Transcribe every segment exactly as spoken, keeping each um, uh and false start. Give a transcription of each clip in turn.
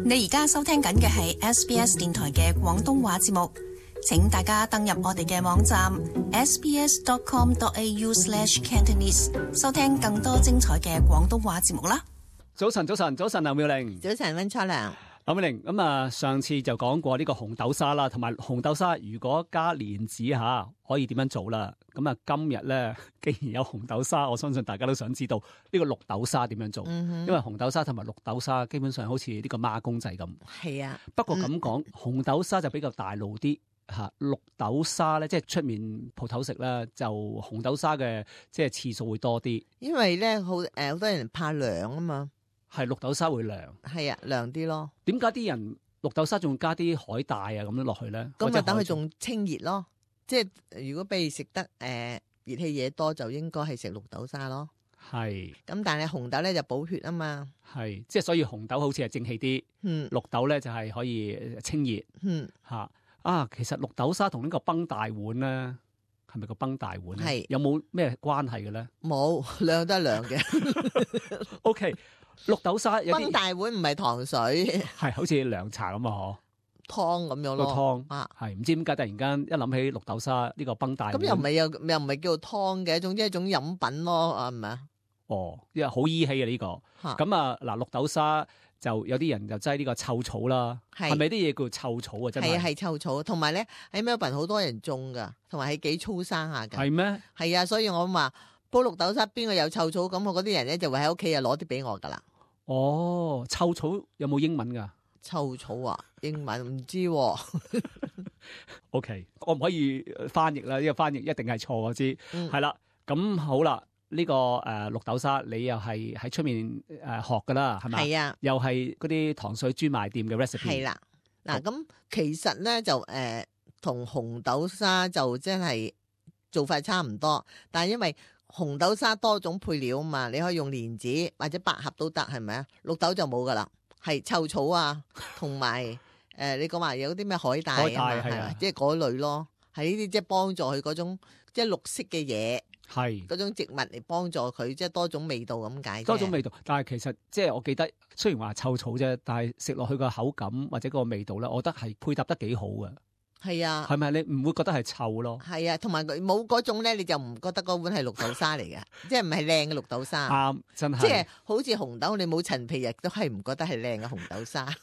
你而家收聽緊嘅係 S B S 電台嘅廣東話節目，請大家登入我哋嘅網站 s b s dot com dot a u slash cantonese 收聽更多精彩嘅廣東話節目啦。早晨，早晨，早晨，劉妙玲。早晨，溫初良。劉妙玲，咁啊，上次就講過呢個紅豆沙啦，同埋紅豆沙如果加蓮子吓，可以點樣做啦？咁啊，今日咧，既然有紅豆沙，我相信大家都想知道呢個綠豆沙點樣做，嗯、因為紅豆沙同埋綠豆沙基本上好似呢個孖公仔咁。係啊，不過咁講，嗯、紅豆沙就比較大路啲吓，綠豆沙咧，即係出面鋪頭食咧，就紅豆沙嘅即係次數會多啲。因為咧好誒，好多人怕涼啊嘛。係綠豆沙會涼，係啊，涼啲咯。點解啲人綠豆沙仲加啲海帶啊咁樣落去咧？咁咪等佢仲清熱咯。即係如果譬如食得誒、呃、熱氣嘢多，就應該係食綠豆沙咯。係。咁但係紅豆咧就補血啊嘛。係，即係所以紅豆好似係正氣啲，嗯，綠豆咧就係可以清熱，嗯嚇啊。其實綠豆沙同呢個崩大碗咧，係咪個崩大碗咧？係有冇咩關係嘅咧？冇，兩都係涼嘅。O K。綠豆沙有啲崩大碗唔係糖水，係好似涼茶咁啊！嗬，湯咁樣咯，湯啊，係唔知點解突然間一諗起綠豆沙呢個崩大碗，咁又唔係又又唔係叫做湯嘅，總之係一種飲品咯，啊，係咪啊？哦，因為好依稀啊呢個，咁啊嗱，綠豆沙就有啲人就擠呢個臭草啦，係咪啲嘢叫臭草啊？真係係啊，係臭草，同埋咧喺 Melbourne 好多人種噶，同埋係幾粗生下噶，係咩？係啊，所以我話煲綠豆沙邊個有臭草，咁我嗰啲人咧就會喺屋企啊攞啲俾我噶啦。哦，臭草有冇英文噶？臭草啊，英文唔知道、啊。O、okay, K， 我唔可以翻譯啦，呢個翻譯一定係錯，我知。係、嗯、啦，咁好啦，呢、這個誒、呃、綠豆沙，你又係喺出面誒、呃、學噶啦，係咪？係啊，又係嗰啲糖水專賣店嘅 recipe。係啦，嗱咁其實咧就誒同、呃、紅豆沙就真係做法差唔多，但係因為紅豆沙多種配料啊嘛，你可以用蓮子或者百合都得，係咪啊？綠豆就冇噶啦，係臭草啊，同埋誒你講話有啲咩海帶啊，係啊，即係嗰類咯，係呢啲即係幫助佢嗰種即係綠色嘅嘢，係嗰種植物嚟幫助佢，即係多種味道咁解。多種味道，但係其實即係我記得，雖然話臭草啫，但係食落去個口感或者個味道咧，我覺得係配搭得幾好嘅。係啊，係咪你唔會覺得係臭咯？係啊，同埋佢冇嗰種咧，你就唔覺得嗰碗係綠豆沙嚟嘅，即係唔係靚嘅綠豆沙。啱，真係。即係好似紅豆，你冇陳皮亦都係唔覺得係靚嘅紅豆沙，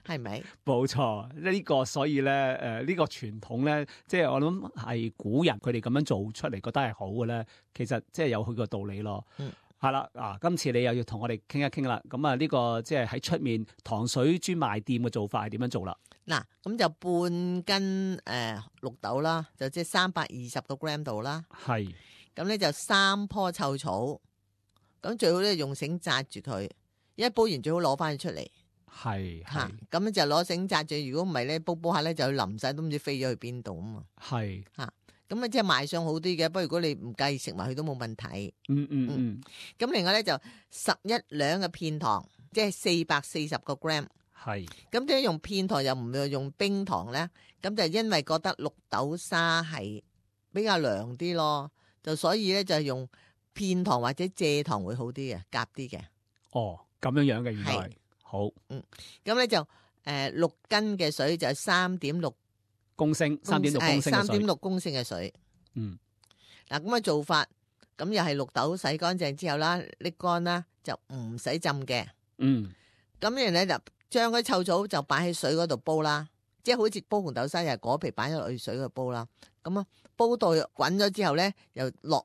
係咪？冇錯，呢、這個所以咧，誒、呃，呢、這個傳統咧，即係我諗係古人佢哋咁樣做出嚟，覺得係好嘅咧，其實即係有佢個道理咯。嗯。係啦，啊，今次你又要同我哋傾一傾啦。咁啊，呢個即係喺出面糖水專賣店嘅做法係點樣做啦？嗱，咁就半斤誒、呃、綠豆啦，就即係三百二十個 gram 度啦。係。咁咧就三棵臭草，咁最好咧用繩紮住佢，一煲完最好攞翻佢出嚟。係係。咁咧就攞繩紮住，如果唔係咧煲煲下咧就淋晒，都唔知飛咗去邊度啊嘛。係。嚇。咁啊，即係賣相好啲嘅，不過如果你唔介意食埋佢都冇問題。嗯嗯嗯。咁、嗯、另外咧就十一兩嘅片糖，即係四百四十個 gram。係。咁點解用片糖又唔用冰糖咧？咁就因為覺得綠豆沙係比較涼啲咯，就所以咧就用片糖或者蔗糖會好啲嘅，夾啲嘅。哦，咁樣樣嘅原來。好。嗯。咁咧就誒、呃、六斤嘅水就係三點六。公升三點六公升嘅水，三點六公升嘅水。嗯，嗱咁嘅做法，咁又係綠豆洗乾淨之後啦，瀝乾啦，就唔使浸嘅。嗯，咁然咧就將嗰臭草就擺喺水嗰度煲啦，即係好似煲紅豆沙又係果皮擺咗落去水嗰度煲啦。咁啊，煲到滾咗之後咧，又落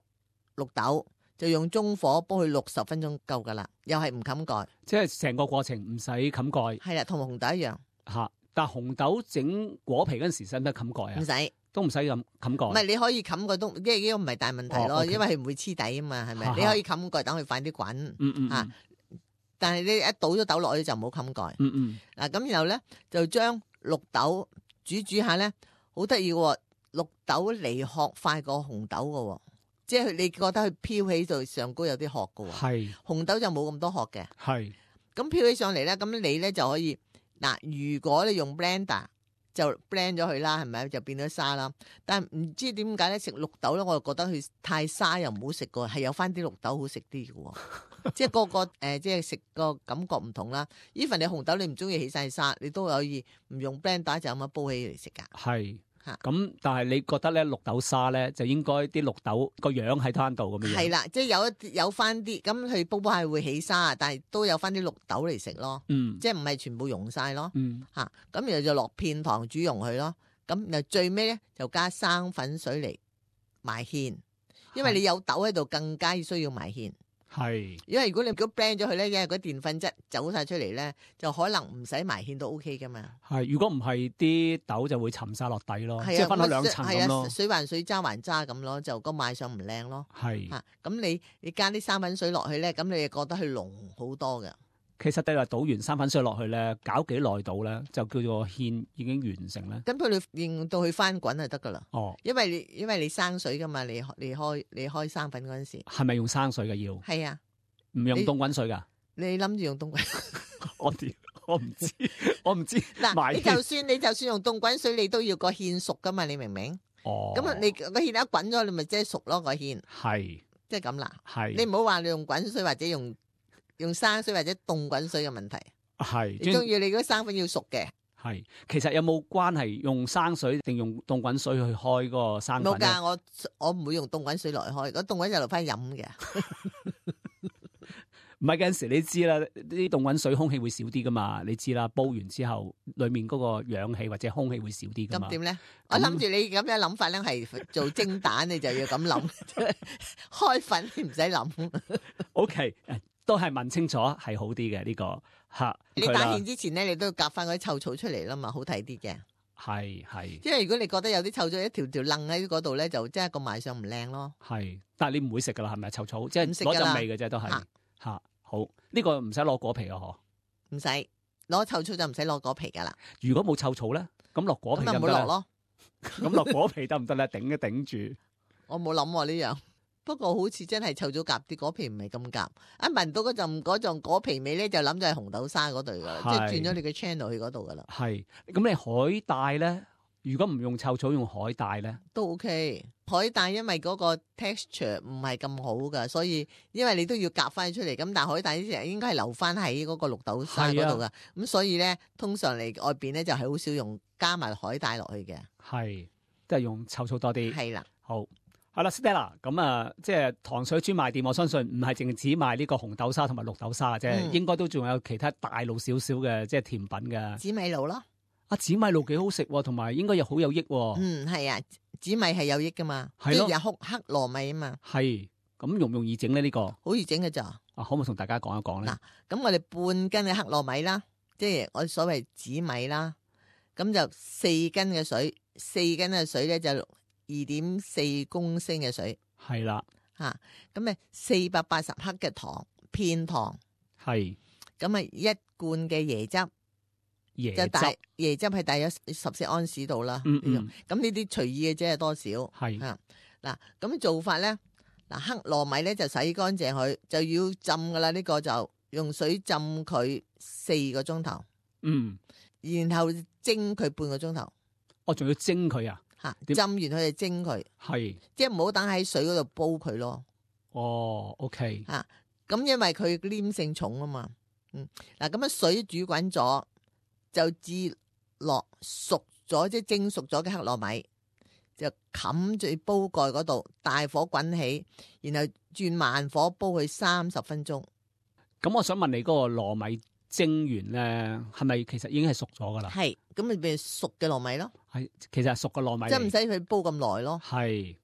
綠豆，就用中火煲佢六十分鐘夠噶啦，又係唔冚蓋。即係成個過程唔使冚蓋。係啦，同紅豆一樣。吓。但紅豆整果皮嗰陣時使唔使冚蓋啊？唔使，都唔使咁冚蓋。唔係，你可以冚蓋都，因為呢個唔係大問題咯，哦 okay、因為佢唔會黐底啊嘛，係咪？你可以冚蓋等佢快啲滾。嗯嗯。吓、嗯，但係你一倒咗豆落去就唔好冚蓋。嗯嗯。嗱咁然後咧就將綠豆煮煮下咧，好得意嘅，綠豆離殼快過紅豆嘅，即係你覺得佢飄起到上高有啲殼嘅。係。紅豆就冇咁多殼嘅。係。咁飄起上嚟咧，咁你咧就可以。嗱，如果你用 blender 就 blend 咗佢啦，係咪就變咗沙啦？但係唔知點解咧食綠豆咧，我就覺得佢太沙又唔好食噶，係有翻啲綠豆好食啲嘅。即係個個誒、呃，即係食個感覺唔同啦。even 你紅豆你唔中意起晒沙，你都可以唔用 blender 就咁樣煲起嚟食噶。係咁，但係你覺得咧綠豆沙咧就應該啲綠豆個樣喺攤度咁樣？係啦，即係有一有翻啲咁佢煲煲係會起沙，但係都有翻啲綠豆嚟食咯。嗯，即係唔係全部溶晒咯。嗯，吓咁然後就落片糖煮溶佢咯。咁然後最尾咧就加生粉水嚟埋芡，因為你有豆喺度，更加需要埋芡。係，因為如果你如果 blend 咗佢咧，因為嗰澱粉質走晒出嚟咧，就可能唔使埋芡都 OK 噶嘛。係，如果唔係啲豆就會沉晒落底咯，即係分咗兩層咁咯。水還水，渣還渣咁咯，就個賣相唔靚咯。係，吓咁你你加啲生粉水落去咧，咁你就覺得佢濃好多嘅。其實你話倒完生粉水落去咧，搞幾耐到咧，就叫做芡已經完成咧。咁佢你令到佢翻滾就得噶啦。哦，因為你因為你生水噶嘛，你你開你開生粉嗰陣時，係咪用生水嘅要？係啊，唔用凍滾水噶。你諗住用凍滾水？我我唔知，我唔知。嗱，你就算你就算用凍滾水，你都要個芡熟噶嘛？你明唔明？哦。咁啊，你個芡一滾咗，你咪即係熟咯個芡。係。即係咁啦。係。你唔好話你用滾水或者用。用生水或者凍滾水嘅問題，係你中意你嗰生粉要熟嘅。係，其實有冇關係用生水定用凍滾水去開嗰個生粉？冇噶，我我唔會用凍滾水落去開，嗰凍滾就留翻飲嘅。唔係嗰陣時你知啦，啲凍滾水空氣會少啲噶嘛，你知啦，煲完之後裏面嗰個氧氣或者空氣會少啲噶嘛。咁點咧？我諗住你咁樣諗法咧，係做蒸蛋你就要咁諗，開粉你唔使諗。O K。都係問清楚係好啲嘅呢個吓。你打芡之前咧，你都要夾翻嗰啲臭草出嚟啦嘛，好睇啲嘅。係係。因為如果你覺得有啲臭草一條條楞喺嗰度咧，就即係個賣相唔靚咯。係，但係你唔會食噶啦，係咪臭草？即係攞陣味嘅啫，都係吓。好，呢、這個唔使攞果皮啊，嗬？唔使攞臭草就唔使攞果皮噶啦。如果冇臭草咧，咁落果皮就唔好落咯。咁落果皮得唔得咧？頂一頂住。我冇諗呢樣。不過好似真係臭咗夾啲果皮唔係咁夾，一聞到嗰陣嗰陣果皮味咧，就諗就係紅豆沙嗰對噶啦，即係轉咗你嘅 channel 去嗰度噶啦。係，咁你海帶咧，如果唔用臭草用海帶咧，都 OK。海帶因為嗰個 texture 唔係咁好噶，所以因為你都要夾翻出嚟，咁但係海帶呢啲應該係留翻喺嗰個綠豆沙嗰度噶，咁、啊、所以咧通常嚟外邊咧就係好少用加埋海帶落去嘅，係都係用臭草多啲。係啦，好。係啦 Stella， 咁啊，即係糖水專賣店，我相信唔係淨只賣呢個紅豆沙同埋綠豆沙嘅啫，嗯、應該都仲有其他大路少少嘅即係甜品嘅。紫米露咯，啊紫米露幾好食，同埋應該又好有益。嗯，係啊，紫米係有益噶嘛，即係有黑黑糯米啊嘛。係，咁容唔容易整咧？呢、這個好易整嘅咋？啊，可唔可以同大家講一講咧？嗱，咁我哋半斤嘅黑糯米啦，即係我所謂紫米啦，咁就四斤嘅水，四斤嘅水咧就。二點四公升嘅水係啦，吓咁咪四百八十克嘅糖片糖係，咁咪一罐嘅椰汁，椰汁就大椰汁係大約十四安士度啦。嗯嗯，咁呢啲隨意嘅啫，係多少係啊？嗱，咁做法咧，嗱黑糯米咧就洗乾淨佢，就要浸噶啦。呢個就用水浸佢四個鐘頭，嗯，然後蒸佢半個鐘頭。我仲要蒸佢啊？吓浸完佢就蒸佢，係即係唔好等喺水嗰度煲佢咯。哦 ，OK 吓，咁因為佢黏性重啊嘛。嗯，嗱咁樣水煮滾咗，就至落熟咗即係蒸熟咗嘅黑糯米，就冚住煲蓋嗰度，大火滾起，然後轉慢火煲佢三十分鐘。咁我想問你嗰個糯米蒸完咧，係咪其實已經係熟咗噶啦？係，咁咪變熟嘅糯米咯。係，其實係熟嘅糯米，即係唔使佢煲咁耐咯。係，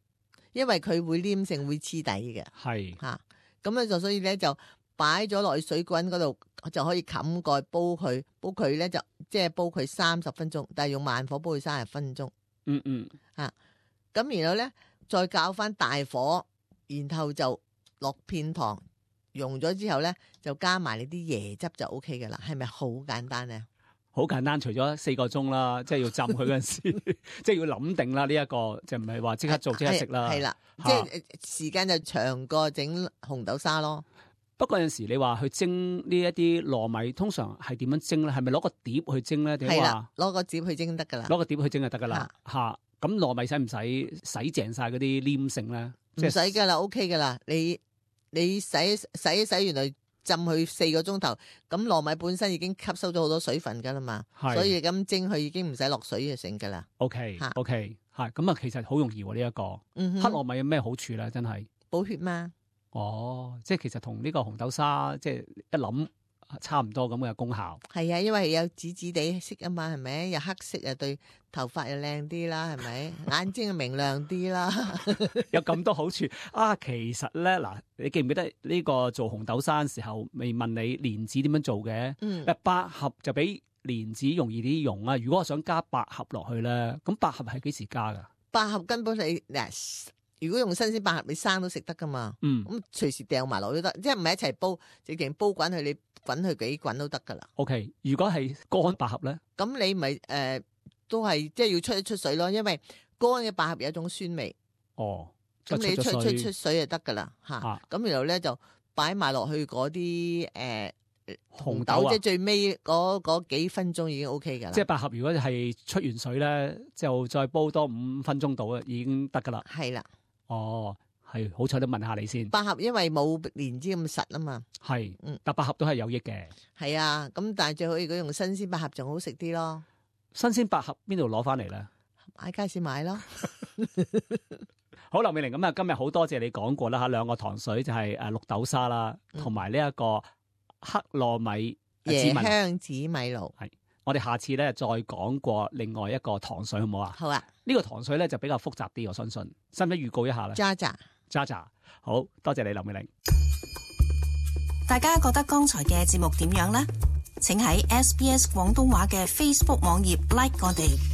因為佢會黏性會黐底嘅。係吓，咁咧就所以咧就擺咗落去水滾嗰度，就可以冚蓋煲佢，煲佢咧就即係煲佢三十分鐘，但係用慢火煲佢三十分鐘。嗯嗯，吓，咁然後咧再較翻大火，然後就落片糖。溶咗之後咧，就加埋你啲椰汁就 O K 嘅啦，係咪好簡單咧？好簡單，除咗四個鐘啦，即係要浸佢嗰陣時，即係要諗定啦。呢、這、一個就唔係話即刻做即刻食啦。係啦，即係時間就長過整紅豆沙咯。不過有陣時你話去蒸呢一啲糯米，通常係點樣蒸咧？係咪攞個碟去蒸咧？定係話攞個碟去蒸得噶啦？攞個碟去蒸就得噶啦。吓，咁糯米使唔使洗淨晒嗰啲黏性咧？唔使噶啦 ，O K 噶啦，你。你洗洗一洗，原來浸佢四個鐘頭，咁糯米本身已經吸收咗好多水分噶啦嘛，所以咁蒸佢已經唔使落水就成噶啦。OK OK， 係咁啊，其實好容易喎呢一個。嗯、黑糯米有咩好處咧？真係補血嘛。哦，即係其實同呢個紅豆沙即係一諗差唔多咁嘅功效。係啊，因為有紫紫地色啊嘛，係咪？有黑色啊，對頭髮又靚啲啦，係咪？眼睛又明亮啲啦，有咁多好處啊！其實咧嗱，你記唔記得呢個做紅豆沙嘅時候，未問你蓮子點樣做嘅？嗯，百合就比蓮子容易啲用啊。如果我想加百合落去咧，咁百合係幾時加噶？百合根本你嗱。如果用新鮮百合，你生都食得噶嘛？嗯，咁隨時掉埋落都得，即係唔係一齊煲，直情煲滾佢，你滾佢幾滾都得噶啦。O K， 如果係乾百合咧，咁你咪誒、呃、都係即係要出一出水咯，因為乾嘅百合有一種酸味。哦，咁你出出出水就得噶啦嚇。咁、啊、然後咧就擺埋落去嗰啲誒紅豆，即係最尾嗰嗰幾分鐘已經 O K 噶啦。即係百合，如果係出完水咧，就再煲多五分鐘到啊，已經得噶啦。係啦。哦，係好彩都問下你先。百合因為冇蓮子咁實啊嘛，係，嗯，但百合都係有益嘅。係啊，咁但係最好如果用新鮮百合仲好食啲咯。新鮮百合邊度攞翻嚟咧？喺街市買咯。好，劉美玲，咁啊，今日好多謝你講過啦吓，兩個糖水就係誒綠豆沙啦，同埋呢一個黑糯米椰香紫米露。係，我哋下次咧再講過另外一個糖水好唔好啊？好啊。呢個糖水咧就比較複雜啲，我相信，使唔使預告一下咧？渣渣，渣渣，好多謝你，劉美玲。大家覺得剛才嘅節目點樣呢？請喺 S B S 廣東話嘅 Facebook 網頁 like 我哋。